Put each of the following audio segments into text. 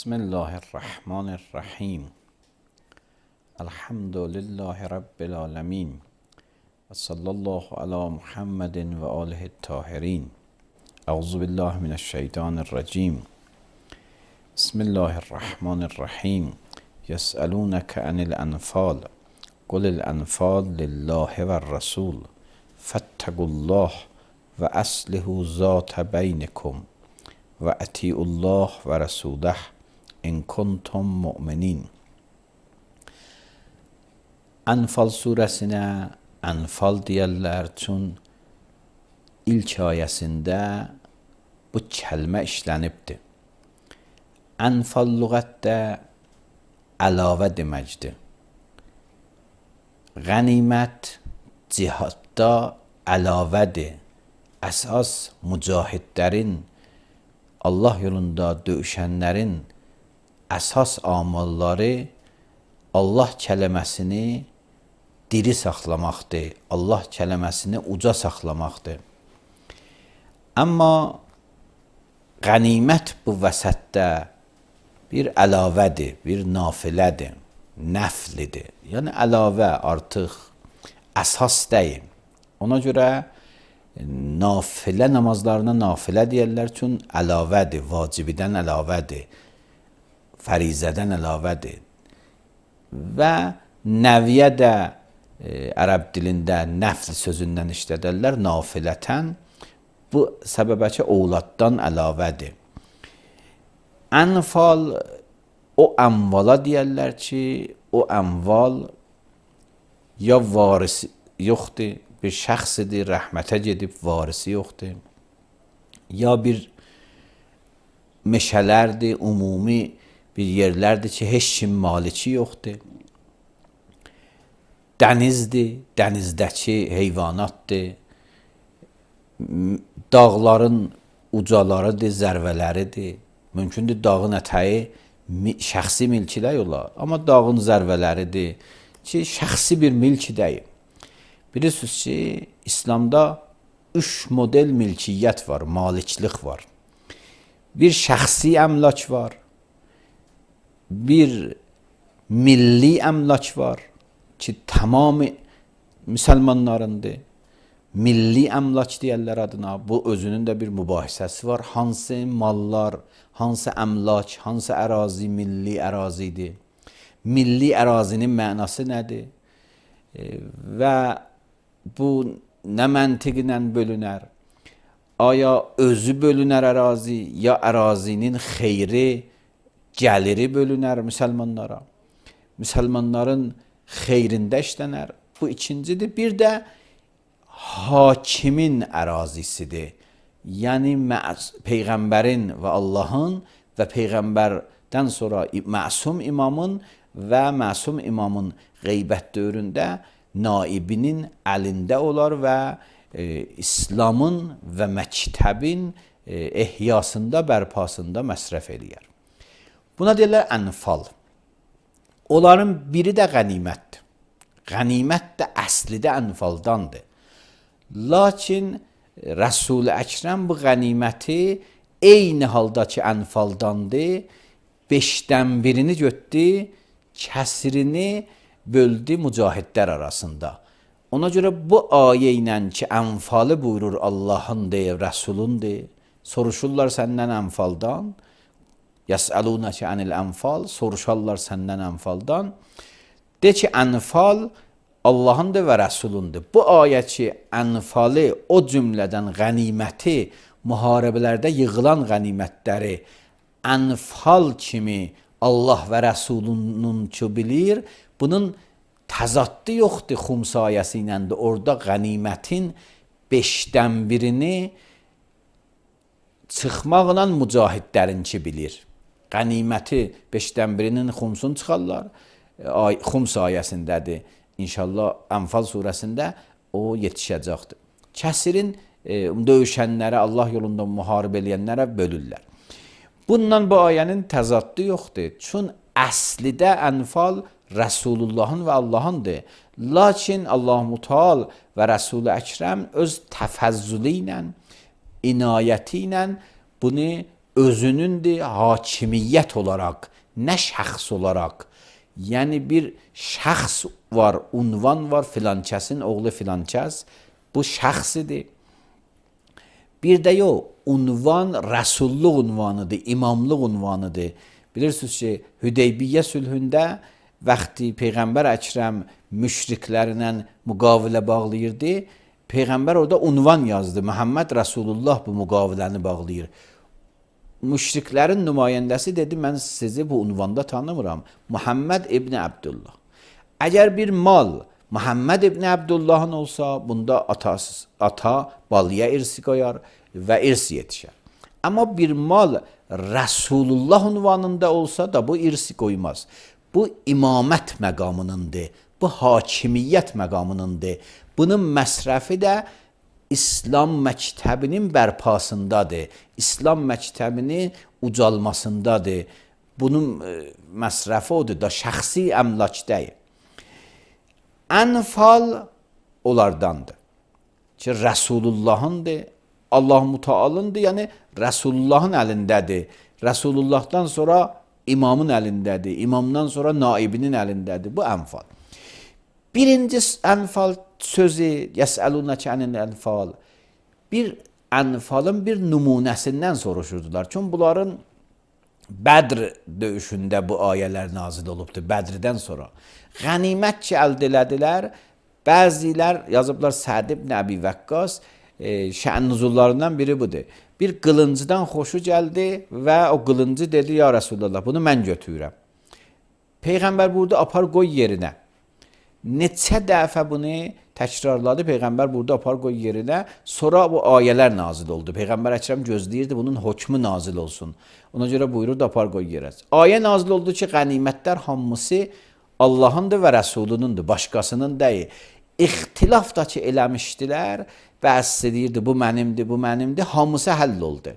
بسم الله الرحمن الرحیم. الحمد لله رب العالمین و صلی الله علی محمد و آله الطاهرین. اعوذ بالله من الشیطان الرجیم. بسم الله الرحمن الرحیم. یسألونک عن الانفال قل الانفال لله و الرسول فاتقوا الله و اصلحوا ذات بینکم و اطیعوا الله و رسوله in kuntum mu'minin. Enfal suresine Enfal deyərlər, çün ilk ayəsində bu kəlmə işlənibdir. Enfal lüğətdə əlavə deməkdir. Qənimət cihadda əlavədir. Əsas mücahidlərin, Allah yolunda döyüşənlərin əsas amalları Allah kələməsini diri saxlamaqdır, Allah kələməsini uca saxlamaqdır. Amma qənimət bu vəsətdə bir əlavədir, bir nafilədir, nəflidir. Yəni əlavə artıq əsas deyil. Ona görə nafilə namazlarına nafilə deyərlər, çün əlavədir, vacibidən əlavədir, fərizədən əlavədir. Və nəviyə də ərəb dilində nəfl sözündən işlədərlər, nafilətən. Bu səbəbə ki, ovladdan əlavədir. Ənfal o əmvala deyərlər ki, o əmval ya varisi yoxdur, bir şəxsidir, rəhmətə gedib, varisi yoxdur. Ya bir meşələrdir, ümumi bir yerlərdir ki, heç kim maliki yoxdur. Dənizdir, dənizdəki heyvanatdır. Dağların ucalarıdır, zərvələridir. Mümkündür dağın ətəyi şəxsi milkilə olar, amma dağın zərvələridir ki, şəxsi bir milki deyil. Bilirsiniz ki, İslamda 3 model milkiyyət var, maliklik var. Bir şəxsi əmlak var, bir milli əmlak var ki, tamamı müsəlmanlarındır. Milli əmlak deyərlər adına. Bu özünün də bir mübahisəsi var. Hansı mallar, hansı əmlak, hansı ərazi milli ərazidir? Milli ərazinin mənası nədir? Və bu nə məntiqlə bölünər? Aya özü bölünər ərazi, ya ərazinin xeyri, gəliri bölünər müsəlmanlara? Müsəlmanların xeyrində işlənər. Bu ikincidir. Bir də hakimin ərazisidir. Yəni Peyğəmbərin və Allahın və Peyğəmbərdən sonra məsum imamın və məsum imamın qeybət dövründə naibinin əlində olar və İslamın və məktəbin ehyasında, bərpasında məsrəf eləyər. Buna deyirlər ənfal. Onların biri də qənimətdir. Qənimət də əslidə ənfaldandır. Lakin Rəsul-i Əkrəm bu qəniməti eyni halda ki ənfaldandır, 5-dən birini götdü, kəsirini böldü mücahidlər arasında. Ona görə bu ayə ilə ki, ənfalı buyurur Allahındır, Rəsulundur, soruşurlar səndən ənfaldan, yəsəlunəkə anil ənfal, soruşarlar səndən ənfaldan, de ki, ənfal Allahındır və Rəsulundur. Bu ayə ki, ənfalı o cümlədən qəniməti, müharibələrdə yığılan qənimətləri ənfal kimi Allah və Rəsulunun ki bilir, bunun təzaddı yoxdur Xums ayəsi ilə də. Orada qənimətin 5-dən birini çıxmaqla mücahidlərinki bilir. Qəniməti 5-dən birinin Xumsunu çıxarlar. Xums ayəsindədir. İnşallah Ənfal surəsində o yetişəcəkdir. Kəsirin döyüşənlərə, Allah yolunda müharibə eləyənlərə bölürlər. Bundan bu ayənin təzaddı yoxdur. Çün əslidə ənfal Rəsulullahın və Allahındır. Lakin Allah-u Teala və Rəsul-i Əkrəm öz təfəzzülü ilə, inayəti ilə bunu özünündür hakimiyyət olaraq, nə şəxs olaraq. Yəni bir şəxs var, unvan var, filankəsin oğlu filankəs, bu şəxsidir. Bir də yox, unvan rəsulluq unvanıdır, imamlıq unvanıdır. Bilirsiniz ki, Hüdeybiyyə sülhündə vaxtı Peyğəmbər Əkrəm müşriklərlə müqavilə bağlayırdı, Peyğəmbər orada unvan yazdı. Muhammed Rasulullah bu müqaviləni bağlayır. Müşriklərin nümayəndəsi dedi, mən sizi bu unvanda tanımıram. Muhammed İbni Abdullah. Əgər bir mal Muhammed İbni Abdullah'ın olsa, bunda ata balıya irsi koyar və irs yetişər. Amma bir mal Resulullah unvanında olsa da bu irsi koymaz. Bu imamət məqamınındır, bu hakimiyyət məqamınındır. Bunun məsrəfi də İslam məktəbinin bərpasındadır. İslam məktəbinin ucalmasındadır. Bunun məsrəfi odur da, şəxsi əmlak deyil. Ənfal onlardandır ki, Resulullah'ındır, Allah Müteala'ndır, yəni Resulullah'ın əlindədir. Resulullah'dan sonra imamın əlindədir, imamdan sonra naibinin əlindədir. Bu ənfal. Birinci ənfal sözü, yəsəlunəkə anil ənfal, bir ənfalın bir nümunəsindən soruşurdular. Çünki bunların Bədr döyüşündə bu ayələr nazil olubdur, Bədrdən sonra. Qənimət ki, əldə elədilər, bəzilər yazıblar Səd ibn Əbi Vəqqas, şən nüzullarından biri budur. Bir qılıncıdan xoşu gəldi və o qılıncı dedi, ya Resulallah, bunu mən götürürəm. Peyğəmbər burada apar qoy yerinə. Neçə dəfə bunu təkrarladı, Peyğəmbər burada apar qoy yerinə, sonra bu ayələr nazil oldu. Peyğəmbər Əkrəm gözləyirdi, bunun hökmü nazil olsun. Ona görə buyururdu, apar qoy yerə. Ayə nazil oldu ki, qənimətlər hamısı Allahındır və Rəsulunundur, başqasının deyil. İxtilaf da ki, eləmişdilər, bəzi deyirdi, bu mənimdir, bu mənimdir, hamısı həll oldu.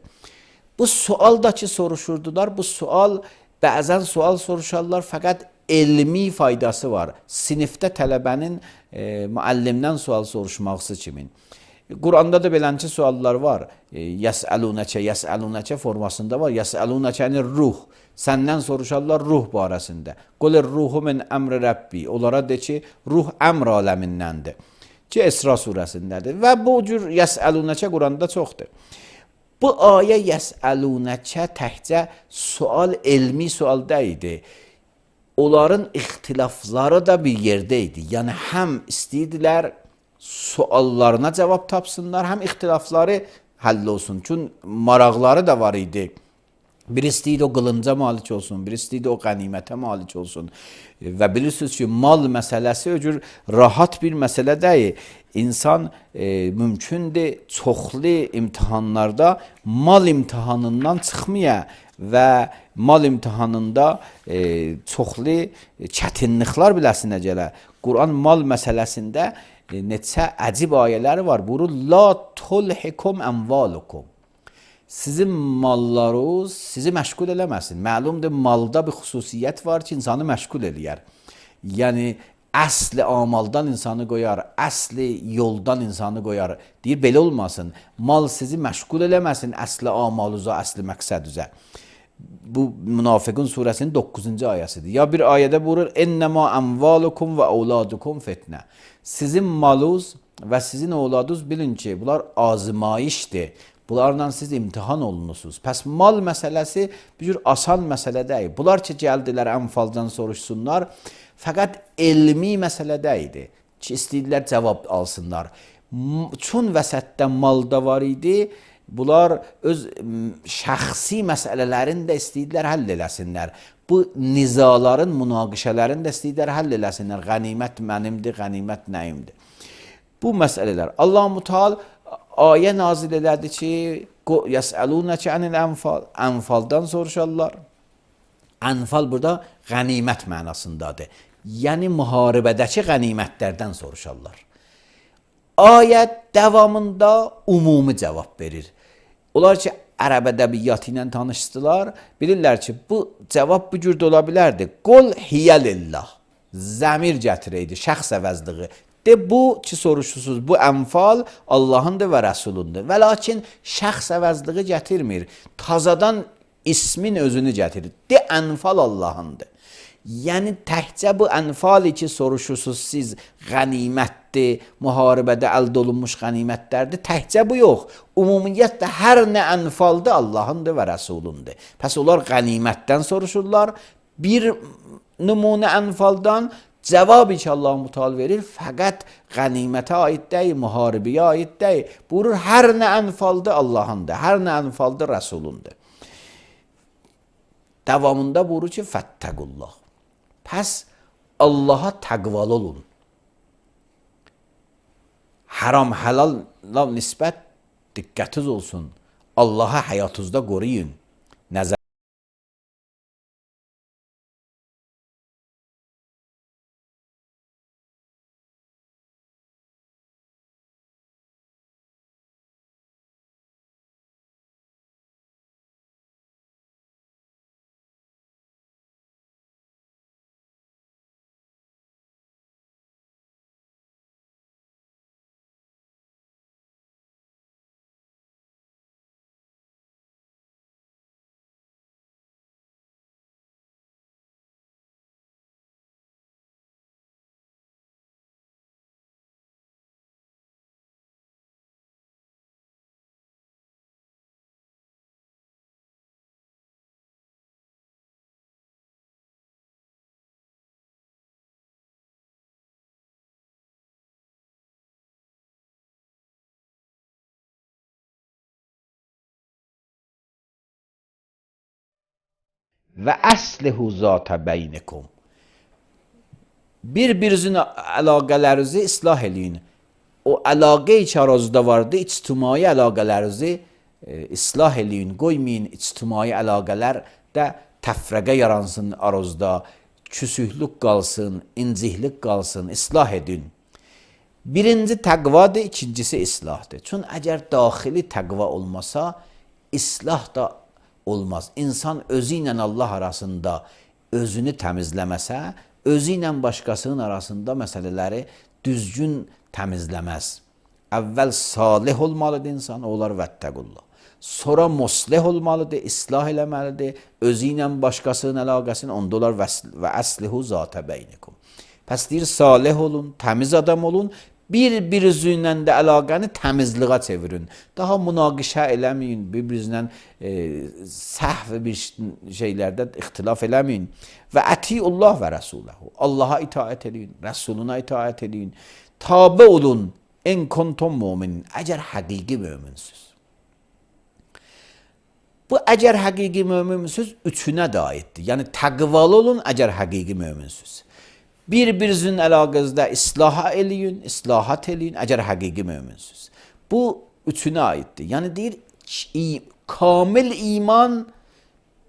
Bu sual da ki, soruşurdular, bu sual, bəzən sual soruşarlar, fəqət elmi faydası var. Sinifdə tələbənin müəllimdən sual soruşması kimin. Quranda da belənçi suallar var. Yəsəlunəkə formasında var. Yəsəlunəkəni ruh. Səndən soruşarlar ruh barəsində. Qolir ruhu min əmri Rəbbi. Onlara de ki, ruh əmr aləmindəndir. Ki, Esra surəsindədir. Və bu cür yəsəlunəkə Quranda çoxdur. Bu ayə yəsəlunəkə təhcə sual, elmi sual deyildi. Onların ixtilafları da bir yerdəydi. Yəni, həm istəyirdilər suallarına cavab tapsınlar, həm ixtilafları həll olsun. Çünki maraqları da var idi. Bir istəyirdi o qılınca malik olsun, bir istəyirdi o qənimətə malik olsun. Və bilirsiniz ki, mal məsələsi o cür rahat bir məsələ deyil. İnsan mümkündür çoxlu imtihanlarda mal imtihanından çıxmaya və mal imtihanında çoxlu çətinliklər biləsinə gələ. Quran mal məsələsində neçə əcib ayələri var. Buyurur, la tulhikum əmvalukum. Sizin mallarınız sizi məşğul eləməsin. Məlumdur, malda bir xüsusiyyət var ki, insanı məşğul eləyər. Yəni, əsli amaldan insanı qoyar, əsli yoldan insanı qoyar. Deyir, belə olmasın. Mal sizi məşğul eləməsin, əsli amaluza, əsli məqsədüzə. Bu Münafiqun surəsinin 9-cu ayəsidir. Ya bir ayədə buyurur, ennəma əmvalukum və avladukum fitnə. Sizin malınız və sizin avladınız bilin ki, bunlar azmayişdir. Bunlarla siz imtihan olunursunuz. Pəs mal məsələsi bir cür asan məsələ deyil. Bunlar ki, gəldilər ənfaldan soruşsunlar, fəqət elmi məsələ deyildi ki, istəyirlər cavab alsınlar. Çün vəsətdə malda var idi, bunlar öz şəxsi məsələlərini də istəyirlər həll eləsinlər. Bu nizaların, münaqişələrini də istəyirlər həll eləsinlər. Qənimət mənimdir, qənimət nəyimdir. Bu məsələlər. Allah-u Teala ayə nazil elədi ki, yəsəlunəkə anil ənfal. Ənfaldan soruşarlar. Ənfal burada qənimət mənasındadır. Yəni, müharibədəki qənimətlərdən soruşarlar. Ayət davamında ümumi cavab verir. Onlar ki, ərəb ədəbiyyatı ilə tanışdılar, bilirlər ki, bu cavab bu cürdə ola bilərdi. Qul hiyəlillah. Zəmir gətirəydi, şəxs əvəzliği. De bu ki soruşursunuz, bu Enfal Allah'ındır və Rəsulundur. Və lakin şəxs əvəzliği gətirmir. Tazadan ismin özünü gətirir. De Enfal Allah'ındır. Yəni təkcə bu Enfal ki soruşursunuz siz qənimətdir, müharibədə əldə olunmuş qənimətlərdir. Təkcə bu yox. Ümumiyyətlə hər nə Enfaldır Allah'ındır və Rəsulundur. Pəs onlar qənimətdən soruşurlar. Bir nümunə Enfaldan cevabı ki Allah-u Teala verir fəqət qənimətə aid deyil, müharibəyə aid deyil. Buyurur hər nə Enfaldır Allah'ındır, hər nə Enfaldır Rəsulundur. Davamında buyurur ki fəttəqullah. Pəs Allah'a təqvalı olun. Haram halala nisbət diqqətiniz olsun. Allah'a həyatınızda qoruyun. Nəzər və əslihu zat beynikum. Bir-birinizin əlaqələrinizi islah eləyin. O əlaqə ki aranızda vardı, ictimai əlaqələrinizi islah eləyin. Qoymayın ictimai əlaqələrdə təfrəqə yaransın aranızda, küsühlük qalsın, inciklik qalsın, islah edin. Birinci təqvadır, ikincisi islahdır. Çünki əgər daxili təqva olmasa, islah da olmaz. İnsan özü ilə Allah arasında özünü təmizləməsə, özü ilə başqasının arasında məsələləri düzgün təmizləməz. Əvvəl salih olmalıdır insan, olar vəttəqullah. Sonra muslih olmalıdır, islah eləməlidir. Özü ilə başqasının əlaqəsini, onda olar və əslihu zatə beynikum. Pəs deyir, salih olun, təmiz adam olun. Bir-birinizlə də əlaqəni təmizliğə çevirin. Daha münaqişə eləməyin, bir-birinizlə səhv bir şeylərdə ixtilaf eləməyin. Və ətiullah və rəsuləhu. Allaha itaət edin, Rəsuluna itaət edin. Tabe olun, en kuntum müminin. Əgər həqiqi möminsiniz. Bu əgər həqiqi möminsiniz, üçünə də aiddir. Yəni təqvalı olun, əgər həqiqi möminsiniz. Bir-birinizin əlaqənizdə islaha eləyin, islahat eləyin, əgər həqiqi möminsiniz. Bu üçünə aiddir. Yəni deyir, kamil iman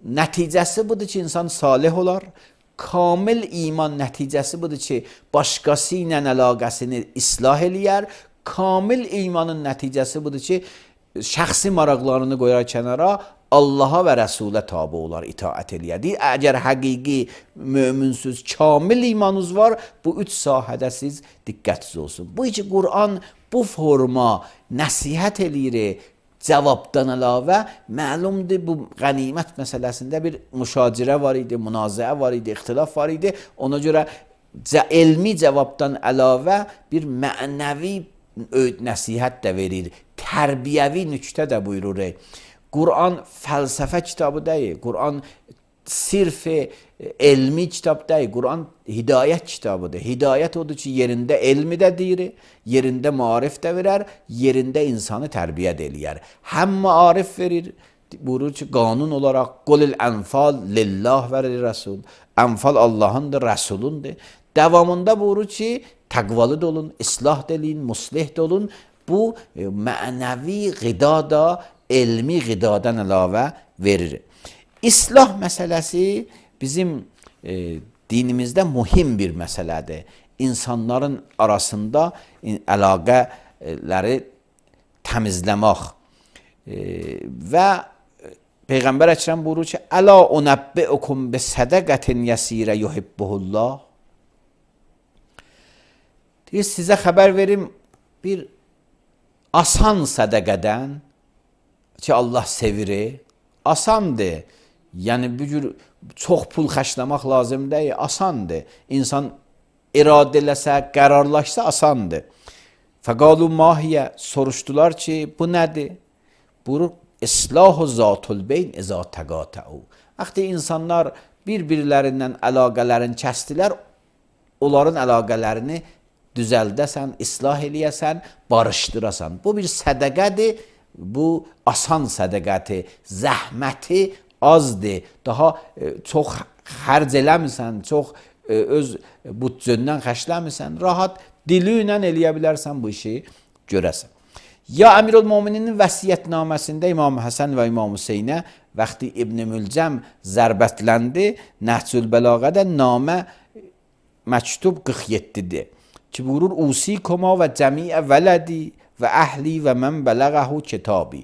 nəticəsi budur ki, insan salih olar. Kamil iman nəticəsi budur ki, başqası ilə əlaqəsini islah eləyər. Kamil imanın nəticəsi budur ki, şəxsi maraqlarını qoyar kənara, Allaha və Rəsulə tabi olar, itaət eləyədir. Əgər həqiqi möminsiniz, kamil imanınız var, bu üç sahədə siz diqqətiniz olsun. Bu ki, Qur'an bu forma nəsihət eləyir, cavabdan əlavə, məlumdur bu qənimət məsələsində bir müşacirə var idi, münazəə var idi, ixtilaf var idi. Ona görə elmi cavabdan əlavə bir mənəvi nəsihət də verir, tərbiyəvi nüktə də buyurur. Qur'an fəlsəfə kitabı deyil, Qur'an sirf elmi kitab deyil, Qur'an hidayət kitabıdır. Hidayət odur ki, yerində elmi də deyir, yerində marif də verər, yerində insanı tərbiyə də eləyər. Həm marif verir, buyurur ki, qanun olaraq qulil ənfal lillah və rəsul. Ənfal Allahındır, Rəsulundur. Davamında buyurur ki, təqvalı da olun, islah da eləyin, muslih da olun. Bu mənəvi qida da elmi qidadan əlavə verir. İslah məsələsi bizim dinimizdə mühim bir məsələdir. İnsanların arasında əlaqələri təmizləmək və Peyğəmbər Əkrəm buyurur ki, Əla unəbbi'ukum bi sədəqətin yəsirə yuhibbuhullah. Deyir, sizə xəbər verim bir asan sədəqədən ki, Allah sevir, asandır. Yəni, bu cür çox pul xərcləmək lazım deyil, asandır. İnsan iradə eləsə, qərarlaşsa asandır. Fəqalu mahiyə, soruşdular ki, bu nədir? Buyurur, İslahu zatul beyn izə təqatəu. Vaxtı insanlar bir-birlərindən əlaqələrini kəsdilər, onların əlaqələrini düzəldəsən, islah eləyəsən, barışdırasan. Bu bir sədəqədir, bu asan sədəqədir, zəhməti azdır, daha çox xərc eləmirsən, çox öz bütcəndən xərcləmirsən, rahat dili ilə eləyə bilərsən bu işi görəsən. Ya Əmirül-Mömininin vəsiyyətnaməsində İmam Həsən və İmam Hüseynə vaxtı İbn Mülcəm zərbətləndi, Nəhcül Bəlağədə namə məktub 47-dir. Ki buyurur, Usikuma və cəmiə vələdi və əhli və mən bələğəhu kitabi.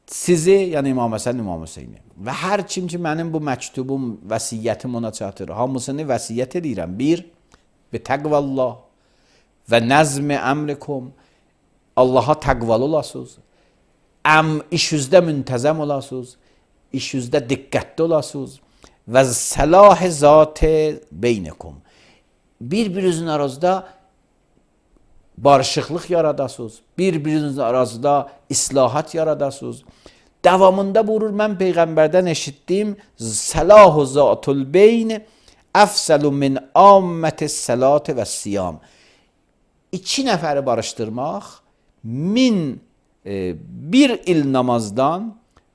Sizi, yəni İmam Həsən, İmam Hüseyni və hər kim ki mənim bu məktubum, vəsiyyətim ona çatır, hamısını vəsiyyət edirəm. Bir, bi təqvallah və nəzmi əmrikum, Allaha təqvalı olasınız, iş üzdə müntəzəm olasınız, iş üzdə diqqətli olasınız və səlah-ı zat-ı beynikum. Bir-birinizin arasında barışıqlıq yaradasınız, bir-birinizin arasında islahat yaradasınız. Davamında buyurur, mən Peyğəmbərdən eşitdim, səlah-ı zatul beyn əfsəlu min amməti səlatı və siyam. İki nəfəri barışdırmaq bir il namazdan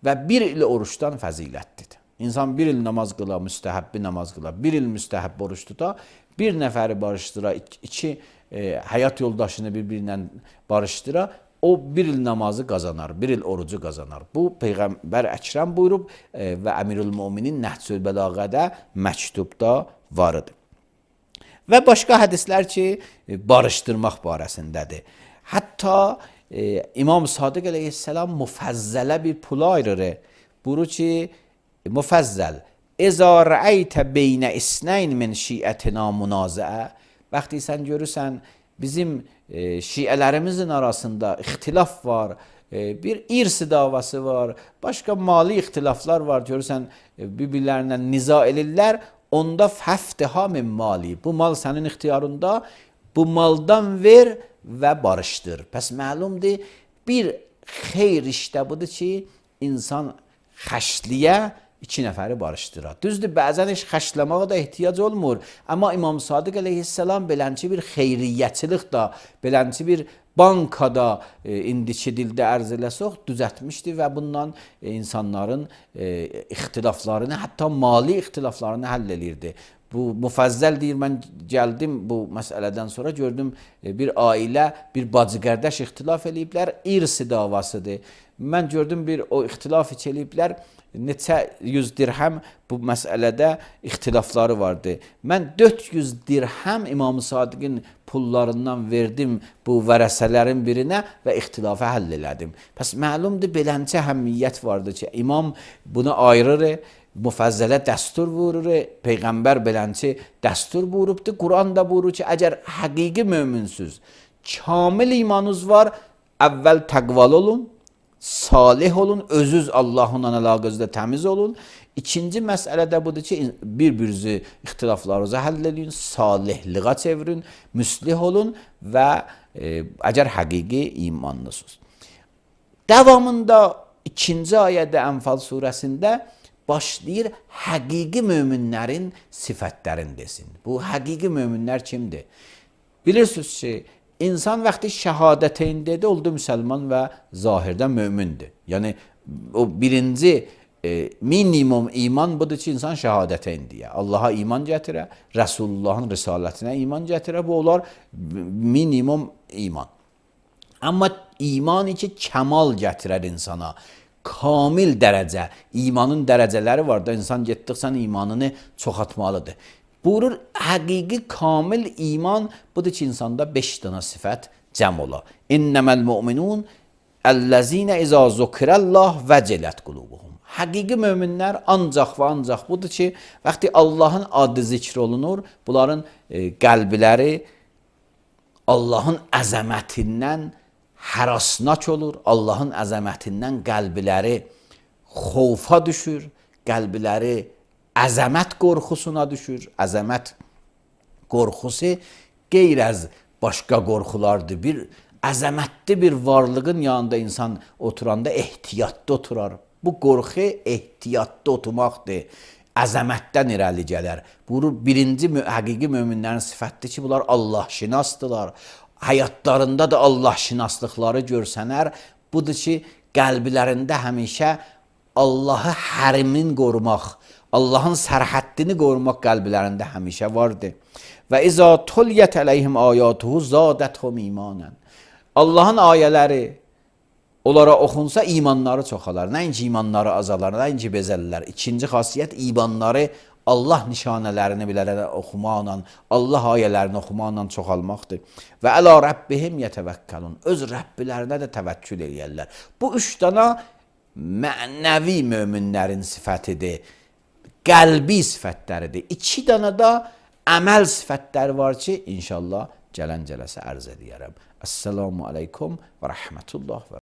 və bir il oruçdan fəzilətlidir. İnsan bir il namaz qıla, müstəhəbbi namaz qıla, bir il müstəhəbbi oruç tuta, bir nəfəri barışdıra, iki həyat yoldaşını bir-birindən barışdıra, o bir il namazı qazanar, bir il orucu qazanar. Bu Peyğəmbər Əkrəm buyurub və Əmirül-Möminin Nəhcül Bəlağədə məktubda varıdır. Və başqa hədislər ki, barışdırmaq barəsindədir. Hətta İmam Sadiq əleyhissalam müfəzzələ bir pula ayırır. Buyurur ki, müfəzzəl, İzə rəəytə beynə isneyn min şiətina münazəə. Vaxtı sən görürsən, bizim şiələrimizin arasında ixtilaf var, bir irsi davası var, başqa mali ixtilaflar var, görürsən, bir-birlərinə niza elirlər, onda fəftiha min mali. Bu mal sənin ixtiyarında, bu maldan ver və barışdır. Pəs məlumdur, bir xeyr işdə budur ki, insan xəşliyə iki nəfəri barışdırar. Düzdür, bəzən heç xəşləməyə də ehtiyac olmur. Amma İmam Sadiq əleyhissalam belənçi bir xeyriyyəçilik da, belənçi bir bankada indiki dildə ərz eləsək düzətmişdi və bundan insanların ixtilaflarını, hətta mali ixtilaflarını həll elirdi. Bu müfəzzəl deyir, mən gəldim bu məsələdən sonra gördüm bir ailə, bir bacı qardaş ixtilaf eləyiblər, irsi davasıdır. Mən gördüm bir o ixtilaf eləyiblər, neçə yüz dirhəm bu məsələdə ixtilafları vardı. Mən 400 dirhəm İmam-ı Sadiqin pullarından verdim bu vərəsələrin birinə və ixtilafı həll elədim. Pəs məlumdur, beləncə həmmiyyət vardı ki, imam bunu ayırır, müfəzzələ dəstur vurur, Peyğəmbər belənçi dəstur buyurubdur. Quran da buyurur ki, əgər həqiqi möminsüz, kamil imanınız var, əvvəl təqval olun, salih olun, özünüz Allahla əlaqənizdə təmiz olun. İkinci məsələ də budur ki, bir-birinizi ixtilaflarınızı həll edin, salihliğə çevirin, müslih olun və əgər həqiqi imanlısınız. Davamında ikinci ayədə Ənfal surəsində başlayır həqiqi möminlərin sifətlərini desin. Bu həqiqi möminlər kimdir? Bilirsiniz ki, insan vaxtı şəhadəteyn dedi, oldu müsəlman və zahirdə mömindir. Yəni, o birinci minimum iman budur ki, insan şəhadəteyn deyə. Allaha iman gətirə, Rəsulullahın risalətinə iman gətirə, bu olar minimum iman. Amma iman ki, kəmal gətirər insana. Kamil dərəcə, imanın dərəcələri var da, insan getdikcə imanını çoxaltmalıdır. Buyurur, həqiqi kamil iman budur ki, insanda 5 dənə sifət cəm ola. İnnəməl müminun əlləzinə izə zukirəllah vəcələt qulubuhum. Həqiqi möminlər ancaq və ancaq budur ki, vaxtı Allahın adı zikr olunur, bunların qəlbləri Allahın əzəmətindən hərasnak olur, Allahın əzəmətindən qəlbləri xovfa düşür, qəlbləri əzəmət qorxusuna düşür. Əzəmət qorxusu qeyr az başqa qorxulardır. Bir əzəmətli bir varlığın yanında insan oturanda ehtiyatlı oturar. Bu qorxu ehtiyatlı oturmaqdır. Əzəmətdən irəli gələr. Bu birinci həqiqi möminlərin sifətidir ki, bunlar Allah-şinasdırlar. Həyatlarında da Allah-şinaslıqları görsənər. Budur ki, qəlblərində həmişə Allahı hərimin qorumaq, Allahın sərhəddini qorumaq qəlblərində həmişə vardır. Və izə tuliyyət əleyhim ayatuhu zadəthum imanən. Allahın ayələri onlara oxunsa imanları çoxalar. Nəinki imanları azalar, nəinki bezəllər. İkinci xasiyyət imanları Allah nişanələrini bilərək oxumaqla, Allah ayələrini oxumaqla çoxalmaqdır. Və ələ Rabbihim yətəvəkkəlun. Öz Rəbbilərinə də təvəkkül eləyərlər. Bu üç dana mənəvi möminlərin sifətidir. Qəlbi sifətləridir. İki dana da əməl sifətləri var ki, inşallah gələn cələsə ərz edərəm. Əssalamu aleykum və rəhmətullah və